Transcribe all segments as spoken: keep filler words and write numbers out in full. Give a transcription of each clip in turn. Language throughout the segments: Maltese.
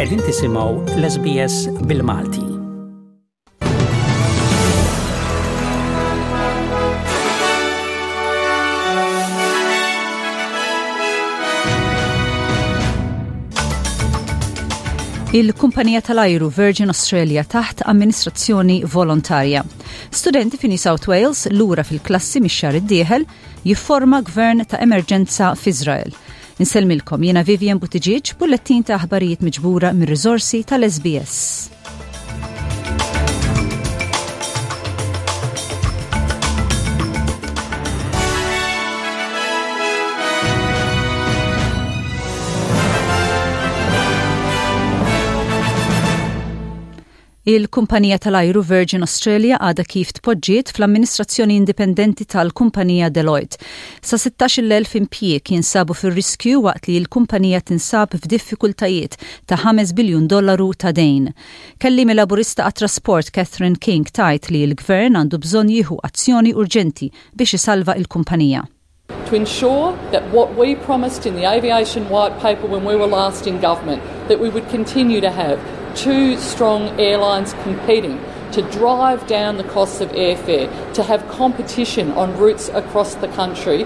Qegħdin tisimgħu l-S B S bil-Malti. Il-kumpanija tal-ajru Virgin Australia taħt amministrazzjoni volontarja. Studenti fi New South Wales lura fil-klassi mix-xahar id-dieħel. Jifforma gvern ta' emerġenza f'Izrael. Insellmilkom, jiena Vivian Buttigieg, bullettin ta' aħbarijiet miġbura mir-riżorsi tal-S B S. Il-kumpanija tal-ajru Virgin Australia għada kif tpoġġiet fl-amministrazzjoni indipendenti tal-kumpanija Deloitte. Sa sittax-il elf impjieg jinsabu fir-riskju waqt li l-kumpanija tinsab f'diffikultajiet ta' ħames biljun dollaru ta' dejn. Kelliem Laburista għat-trasport Catherine King tgħid li l-gvern għandu bżonn jieħu azzjoni urġenti biex isalva il-kumpanija. To ensure that what we promised in the Aviation White Paper when we were last in government, that we would continue to have two strong airlines competing to drive down the costs of airfare, to have competition on routes across the country.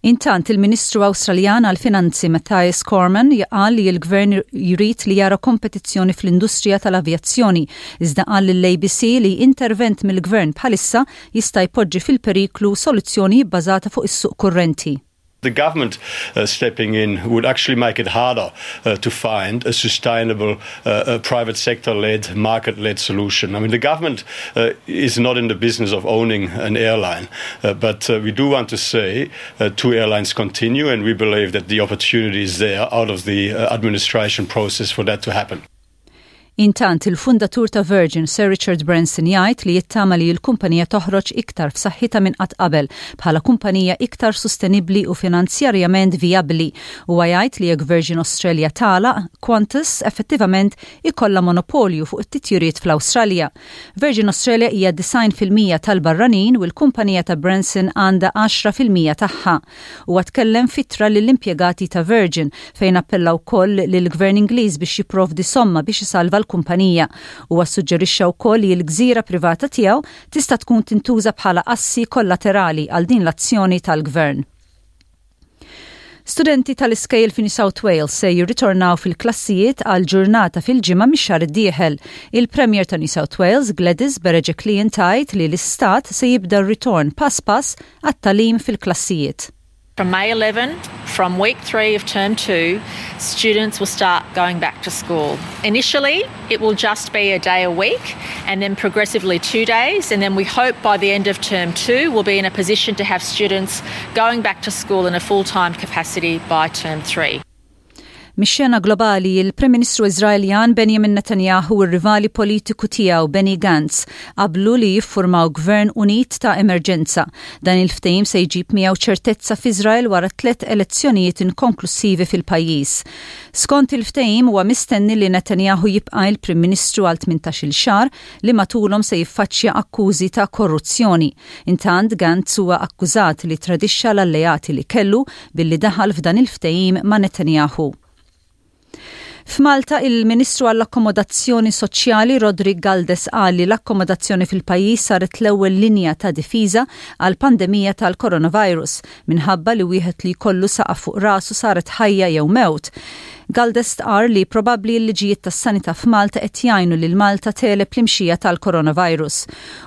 Intant, il-Ministru Awstraljan għal-Finanzi Mathias Cormann qal li l-gvern jrid li jara kompetizzjoni fl-industrija tal-avjazzjoni, iżda qal lill-A B C li intervent mill-gvern bħalissa jista' jpoġġi fil-periklu soluzzjoni bbażata fuq is-suq kurrenti. The government uh, stepping in would actually make it harder uh, to find a sustainable uh, uh, private sector led, market led solution. I mean, the government uh, is not in the business of owning an airline, uh, but uh, we do want to see uh, two airlines continue, and we believe that the opportunity is there out of the uh, administration process for that to happen. Intant, il-fundatur ta' Virgin, Sir Richard Branson, jgħid li jittama li l-kumpanija toħroġ iktar f'saħħitha minn qatt qabel bħala kumpanija iktar sostenibbli u finanzjarjament vijabbli. Huwa jgħid li jekk Virgin Australia tagħlaq, Qantas effettivament ikollha monopolju fuq it-titjiriet fl-Awstralja. Virgin Australia hija disgħin fil-mija tal-barranin u l-kumpanija ta' Branson għandha għaxra fil-mija tagħha. Huwa tkellem f'ittra lill-impjegati ta' Virgin fejn appella wkoll lill-Gvern Ingliż biex jipprovdi somma biex isalva l-kumpanija. Huwa suġġerixxa wkoll li l-gżira privata tiegħu tista' tkun tintuża bħala assi kollaterali għal din l-azzjoni tal-gvern. Studenti tal-iskejjel fi New South Wales se jirritornaw fil-klassijiet għal ġurnata fil-ġimgħa mix-xahar id-dieħel. Il-Premier ta' New South Wales, Gladys Berejiklian, tgħid li l-istat se jibda r-ritorn pass pass għat-tagħlim fil-klassijiet. From May eleven, from week three of term two, students will start going back to school. Initially, it will just be a day a week and then progressively two days. And then we hope by the end of term two, we'll be in a position to have students going back to school in a full time capacity by term three. Mix-xena globali, il-Prim Ministru Izraeljan Benjamin Netanyahu u r-rivali politiku tiegħu Benny Gantz qablu li jiffurmaw gvern unit ta' emerġenza. Dan il-ftehim se jġib miegħu ċertezza f'Izrael wara tliet elezzjonijiet inkonklusivi fil-pajjiż. Skont il-ftehim, huwa mistenni li Netanyahu jibqa' il-Prim Ministru għal tmintax-il xahar li matulhom se jiffaċċja akkużi ta' korruzzjoni. Intant, Gantz huwa akkużat li tradixxa l-alleati li kellu billi daħal f'dan il-ftehim ma' Netanyahu. F'Malta, il-Ministru għall-Akkomodazzjoni Soċjali Roderick Galdes qal li l-akkomodazzjoni fil-pajjiż saret l-ewwel linja ta' difiża għal pandemija tal-coronavirus minħabba li wieħed li jkollu saqaf fuq rasu saret ħajja jew mewt. Galdes stqar li probabbli l-liġijiet tas-sanità f'Malta qed jgħinu lil Malta tegħleb l-imxija tal-coronavirus.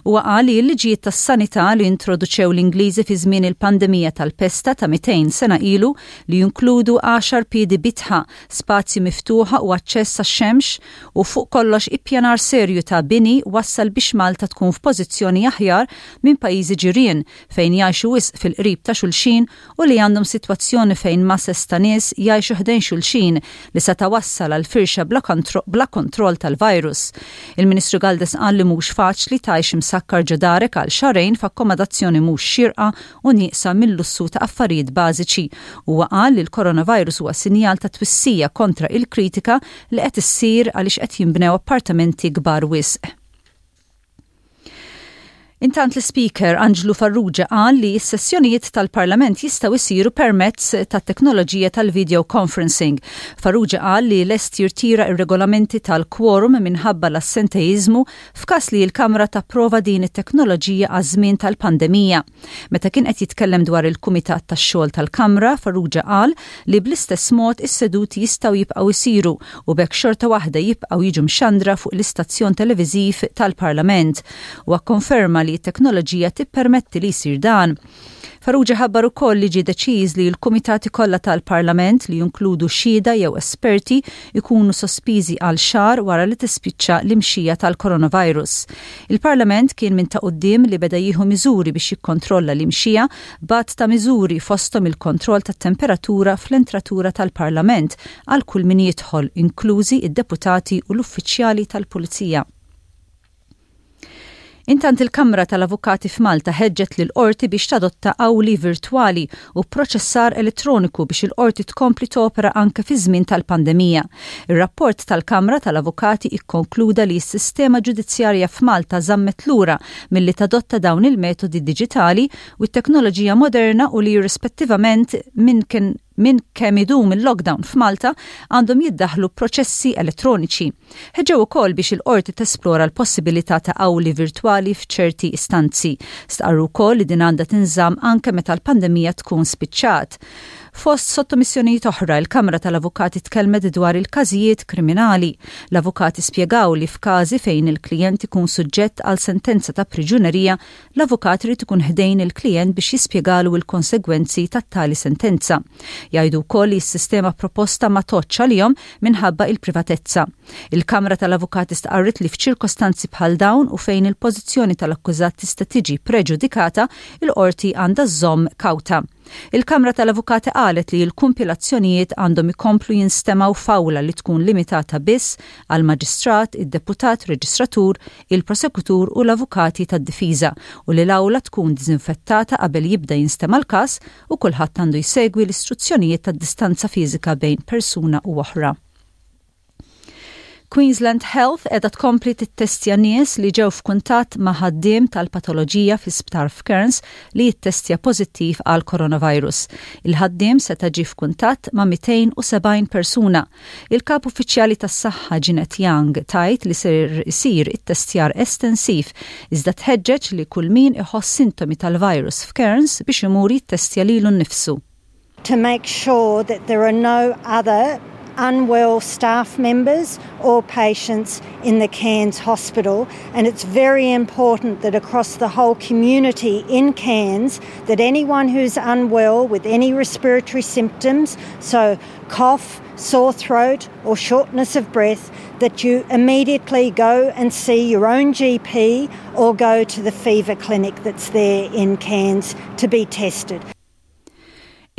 Huwa qal li l-liġijiet tas-sanità li introduċew l-Ingliżi fi żmien il-pandemija tal-pesta ta' mitejn sena ilu, li jinkludu għaxar piedi bitħa, spazji miftuħa u aċċess għax-xemx u fuq kollox ippjanar serju ta' bini, wassal biex Malta tkun f'pożizzjoni aħjar minn pajjiżi ġirien fejn jgħixu wisq fil-qrib ta' xulxin u li għandhom sitwazzjoni fejn masses ta' nies jgħixu ħdejn xulxin li se tawassal għal firxa bla, kontro bla kontroll tal-virus. Il-Ministru Galdes qal li mhux faċli tgħix imsakkar ġo darek għal xahrejn f'akkomodazzjoni mhux xirqa u nieqsa mill-lussu ta' affarijiet bażiċi. Huwa qal li l-coronavirus huwa sinjal ta' twissija kontra il-kritika li qed issir għaliex qed jinbnew appartamenti kbar wisq. Intant, l-Speaker Anġlu Farrugia qal li s-sessjonijiet tal-Parlament jistgħu jsiru permezz tat-teknoloġija tal-video conferencing. Farrugia qal li lest jirtira ir-regolamenti tal-quorum minħabba l-assenteizmu f'każ li l-Kamra tapprova din it-teknoloġija għaż-żmien tal-pandemija. Meta kien qed jitkellem dwar il-Kumitat tax-xogħol tal-Kamra, Farrugia qal li bl-istess mod is-seduti jistgħu jibqgħu jsiru u b'hekk xorta waħda jibqgħu jiġu mxandra fuq l-istazzjon televiżiv tal-Parlament. U konferma li t-teknoloġija tippermetti li jsir dan. Farrugia ħabbar ukoll li ġie deċiż li l-kumitati kollha tal-Parlament li jinkludu xhieda jew esperti ikunu sospiżi għal xahar wara li tispiċċa l-imxija tal-coronavirus. Il-Parlament kien minn ta' quddiem li beda jieħu miżuri biex jikkontrolla l-imxija b'għadd ta' miżuri, fosthom il-kontroll tat-temperatura fl-entratura tal-Parlament għal kull min jidħol, inklużi id-deputati u l-uffiċjali tal-Pulizija. Intant, il-Kamra tal-Avukati f'Malta ħeġġet lil qorti biex tadotta awli virtwali u proċessar elettroniku biex il-qorti tkompli topera anke fi żmien tal-pandemija. Ir-rapport tal-Kamra tal-Avukati ikkonkluda li s-sistema ġudizzjarja f'Malta żammet lura milli tadotta dawn il-metodi diġitali u t-teknoloġija moderna u li rispettivament minn kien minn kemm idum il-lockdown f'Malta għandhom jiddaħlu proċessi elettroniċi. Ħeġġew ukoll biex il-qorti tesplora l-possibilità ta' awli virtwali f'ċerti istanzi. Stqarru wkoll li din għandha tinżamm anke meta l-pandemija tkun spiċċat. Fost sottomissjonijiet oħra, il-Kamra tal-Avukati tkellmet dwar il-każijiet kriminali. L-avukati spjegaw li f'każi fejn il-klient ikun suġġett għal sentenza ta' priġunerija, l-avukat irid ikun ħdejn il-klient biex jispjegalu il-konsegwenzi tat-tali sentenza. Jgħidu wkoll li s-sistema proposta ma tgħoddx għalihom minħabba il-privatezza. Il-Kamra tal-Avukati stqarret li f'ċirkostanzi bħal dawn u fejn il-pożizzjoni tal-akkużat tista' tiġi preġudikata, il-qorti għandha żżomm kawta. Il-Kamra tal-Avukati qalet li l-kumpilazzjonijiet għandhom ikomplu jinstemaw f'awla li tkun limitata biss għal maġistrat, id-deputat reġistratur, il-prosekutur u l-avukati tad-difiża u li l-awla tkun dizinfettata qabel jibda jinstema' l-każ u kulħadd għandu jsegwi l-istruzzjonijiet tad-distanza fiżika bejn persuna u oħra. Queensland Health qiegħda tkompli tittestja nies li ġew f'kuntatt ma' ħaddiem tal-patoloġija fi sptar f'Cairns li jittestja pożittiv għal coronavirus. Il-ħaddiem seta' ġie f'kuntatt ma' mitejn u sebgħin persuna. Il-kap uffiċjali tas-saħħa Jeanette Young tgħid li ser isir it-testjar estensiv, iżda tħeġġeġ li kull min iħoss sintomi tal-virus f'Cairns biex imur jittestja lilu nnifsu. To make sure that there are no other unwell staff members or patients in the Cairns Hospital, and it's very important that across the whole community in Cairns that anyone who's unwell with any respiratory symptoms, so cough, sore throat or shortness of breath, that you immediately go and see your own G P or go to the fever clinic that's there in Cairns to be tested.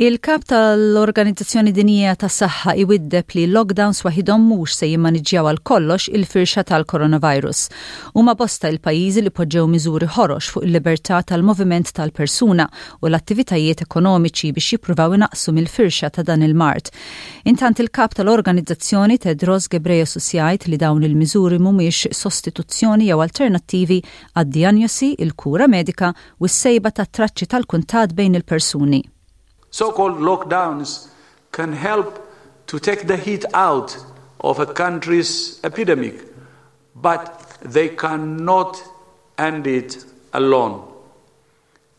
Il-kap tal-Organizzazzjoni Dinjija tas-Saħħa iwiddeb li lockdowns waħidhom mhux se jimmaniġġjaw għal kollox il-firxa tal-coronavirus. Huma bosta il-pajjiżi li poġġew miżuri ħorox fuq il-libertà tal-moviment tal-persuna u l-attivitajiet ekonomiċi biex jippruvaw inaqsu mill-firxa ta' dan il-mard. Intant, il-kap tal-organizzazzjoni Tedros Ghebreyesus jgħid li dawn il-miżuri mhumiex sostituzzjoni jew alternattivi għad-dijanjosi, il-kura medika u s-sejba ta' traċċi tal-kuntatt bejn il-persuni. So-called lockdowns can help to take the heat out of a country's epidemic, but they cannot end it alone.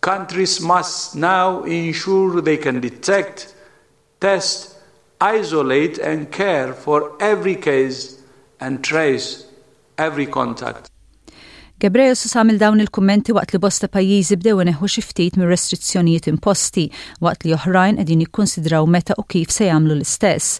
Countries must now ensure they can detect, test, isolate, and care for every case and trace every contact. Ghebreyesus għamel dawn il-kummenti waqt li bosta pajjiżi bdew ineħħu xi ftit mir-restrizzjonijiet imposti, waqt li oħrajn qegħdin jikkonsidraw meta u kif se jagħmlu l-istess.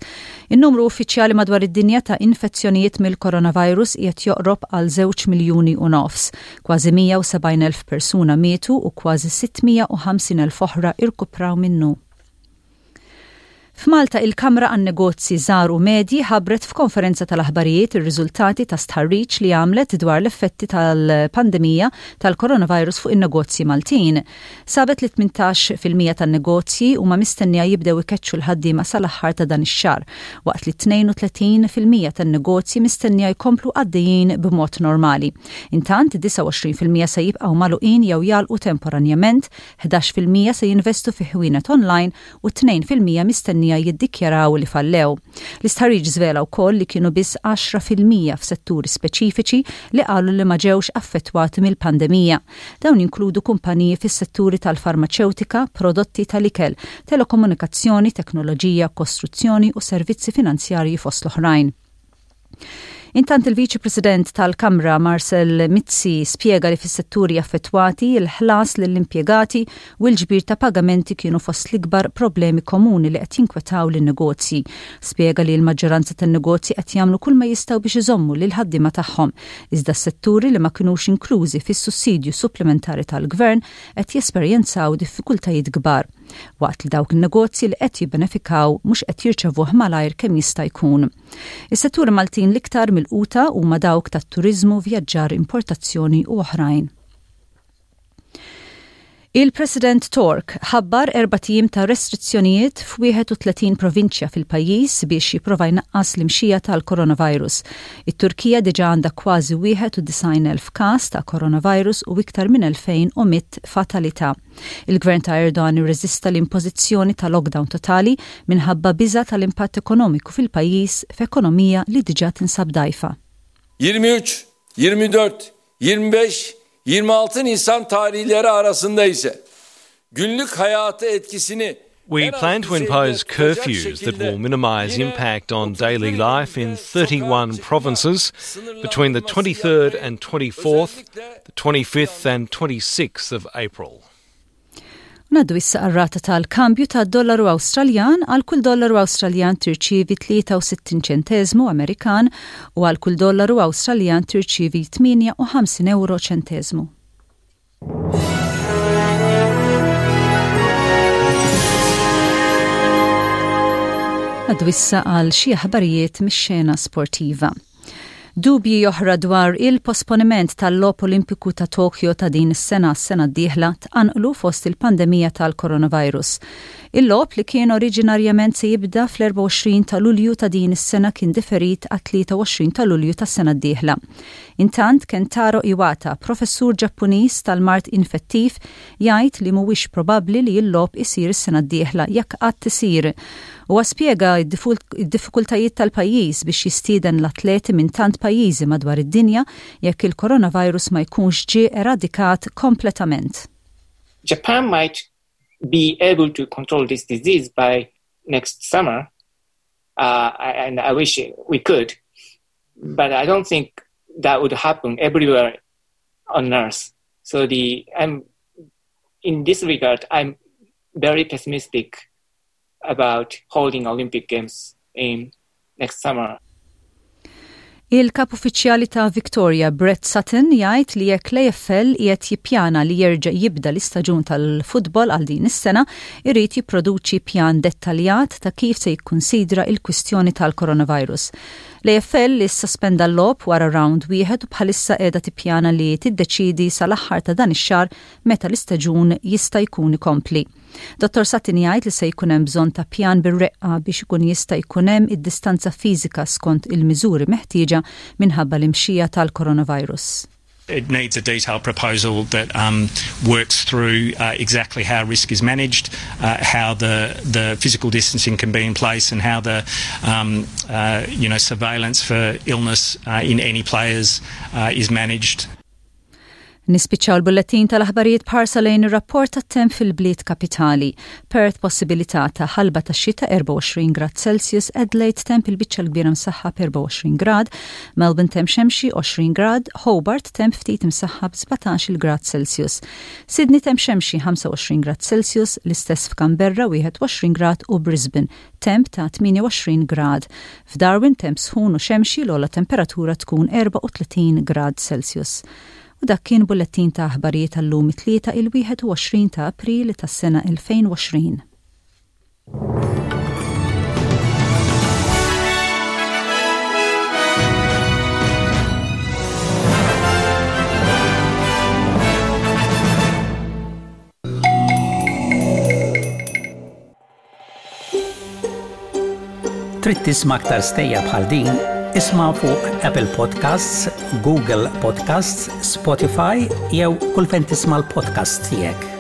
In-numru uffiċjali madwar id-dinja ta' infezzjonijiet mill-coronavirus qiegħed joqrob għal żewġ miljuni u nofs. Kważi mija u sebgħin elf persuna mietu u kważi sitt mija u ħamsin elf oħra irkupraw minnu. F'Malta, il-Kamra għan-Negozji Żgħar u Medji ħabbret f'konferenza tal-aħbarijiet ir-riżultati ta' stħarriġ li għamlet dwar l-effetti tal-pandemija tal-coronavirus fuq in-negozji Maltin. Sabet li tmintax fil-mija tan-negozji huma mistennija jibdew ikeċċu l-ħaddiema sal-aħħar ta' dan ix-xahar, waqt li tnejn u tletin fil-mija tan-negozji mistennija jkomplu għaddejjin b'mod normali. Intant, disgħa u għoxrin fil-mija se jibqgħu magħluqin jew jagħlqu temporanjament, ħdax fil-mija se jinvestu fi ħwienet online u tnejn fil-mija mistennija jiddikjaraw li fallew. L-istħarriġ żvela wkoll li kienu biss għaxra fil-mija f'setturi speċifiċi li qalu li ma ġewx affettwati mill-pandemija. Dawn jinkludu kumpaniji fis-setturi tal-farmaċewtika, prodotti tal-ikel, telekomunikazzjoni, teknoloġija, kostruzzjoni u servizzi finanzjarji, fost l-oħrajn. Intant, il-Viċi President tal-Kamra Marcel Mizzi spiega li fis-setturi affettwati, il-ħlas lill-impjegati u l-ġbir ta' pagamenti kienu fost l-ikbar problemi komuni li qed jinkwetaw lin-negozji. Spjega li l-maġġoranza tan-negozji qed jagħmlu kull ma jistgħu biex iżommu lil ħaddiema tagħhom. Iżda s-setturi li ma kinux inklużi fis-sussidju supplementari tal-gvern qed jesperjenzaw diffikultajiet kbar, waqt li dawk il-negozji li qed jibbenefikaw mhux qed jirċevuh malajr kemm jista' jkun. Is-setturi Maltin l-iktar milquta huma dawk tat-turiżmu, vjaġġar, importazzjoni u oħrajn. Il-President Tork ħabbar erbat ijiem ta' restrizzjonijiet f'wieħed u tletin provinċja fil-pajjiż biex jipprova jnaqqas l-imxija tal-coronavirus. It-Turkija diġà għandha kważi wieħed u disgħin elf każ ta' coronavirus u iktar minn elfejn u mitt fatalità. Il-gvern ta' Erdogan irreżista l-impożizzjoni ta' lockdown totali minħabba biża tal-impatt ekonomiku fil-pajjiż, f'ekonomija li diġà tinsab dgħajfa. yirmi üç, yirmi dört, yirmi beş, yirmi altı Nisan tarihleri arasında ise günlük hayata etkisini We plan to impose curfews that will minimise impact on daily life in thirty-one provinces between the twenty-third and twenty-fourth, the twenty-fifth and twenty-sixth of April. Ngħaddu issa għar-rata tal-kambju ta' dollaru Awstraljan. Għal kull dollaru Awstraljan tirċievi tlieta u sittin ċentezmu Amerikan u għal kull dollaru Awstraljan tirċievi tmienja u ħamsin euro ċentezmu. Ngħaddu issa għal xi aħbarijiet mix-xena sportiva. Dubji oħra dwar il-posponiment tal-Logħob Olimpiku ta' Tokyo ta' din is-sena s-sena d-dieħla tqanqlu fost il-pandemija tal-coronavirus. Il-logħob li kien oriġinarjament se jibda fl-erbgħa u għoxrin ta' Lulju ta' din is-sena kien diferit għat-tlieta u għoxrin ta' Lulju tas-sena d-dieħla. Intant, Kentaro Iwata, professur Ġappuniż tal-mard infettiv, jgħid li mhuwiex probabbli li l-logħob isir is-sena d-dieħla, jekk qatt isir. U spjega id-diffikultajiet tal-pajjiż biex jistieden l-atleti minn tant pajjiżi madwar id-dinja jekk il-coronavirus ma jkunx ġie eradikat kompletament. Japan might be able to control this disease by next summer, uh, and I wish we could, but I don't think that would happen everywhere on Earth. So the I'm in this regard, I'm very pessimistic about holding Olympic Games in next summer. Il-kap uffiċjali ta' Victoria, Brett Sutton, jgħid li jekk l-A F L qiegħed jippjana li jerġa' jibda l-istaġun tal-futbol għal din is-sena, irid jipproduċi pjan dettaljat ta' kif se jikkunsidra il-kwistjoni tal-coronavirus. L-A F L li sospenda l-logħob wara round wieħed u bħalissa qiegħda tippjana li tiddeċidi sal-aħħar ta' dan ix-xahar meta l-istaġun jista' jkun ikompli. Dottor Sutton jgħid li se jkun hemm bżonn ta' pjan bir-reqqa biex ikun jista' jkun hemm id-distanza fiżika skont il-miżuri meħtieġa minħabba l-imxija tal-coronavirus. It needs a detailed proposal that um, works through uh, exactly how risk is managed, uh, how the the physical distancing can be in place, and how the um, uh, you know surveillance for illness uh, in any players uh, is managed. Nispiċċaw l-bullettin tal-aħbarijiet b'ħarsa lejn ir-rapport tat-temp fil-bliet kapitali. Perth, possibilità ta' ħalba ta' xita, erbgħa u għoxrin grad Celsius, Adelaide temp il-biċċa l-kbira msaħħab, erbgħa u għoxrin grad, Melbourne temp xemxi, għoxrin grad, Hobart temp ftit msaħħab, sbatax-il grad Celsius. Sydney temp xemxi, ħamsa u għoxrin grad Celsius, l-istess f'Canberra, wieħed u għoxrin grad, u Brisbane temp ta' tmienja u għoxrin grad. F'Darwin temp sħun u xemxi, l-ogħla temperatura tkun erbgħa u tletin grad Celsius. U dak kien bullettin ta' aħbarijiet tal-lum it-Tlieta, il-wieħed u għoxrin ta' April tas-sena elfejn u għoxrin. Trid tisma' aktar stejjer bħal din? Isma' fuq Apple Podcasts, Google Podcasts, Spotify jew kull fejn tisma' l-podcast tiegħek.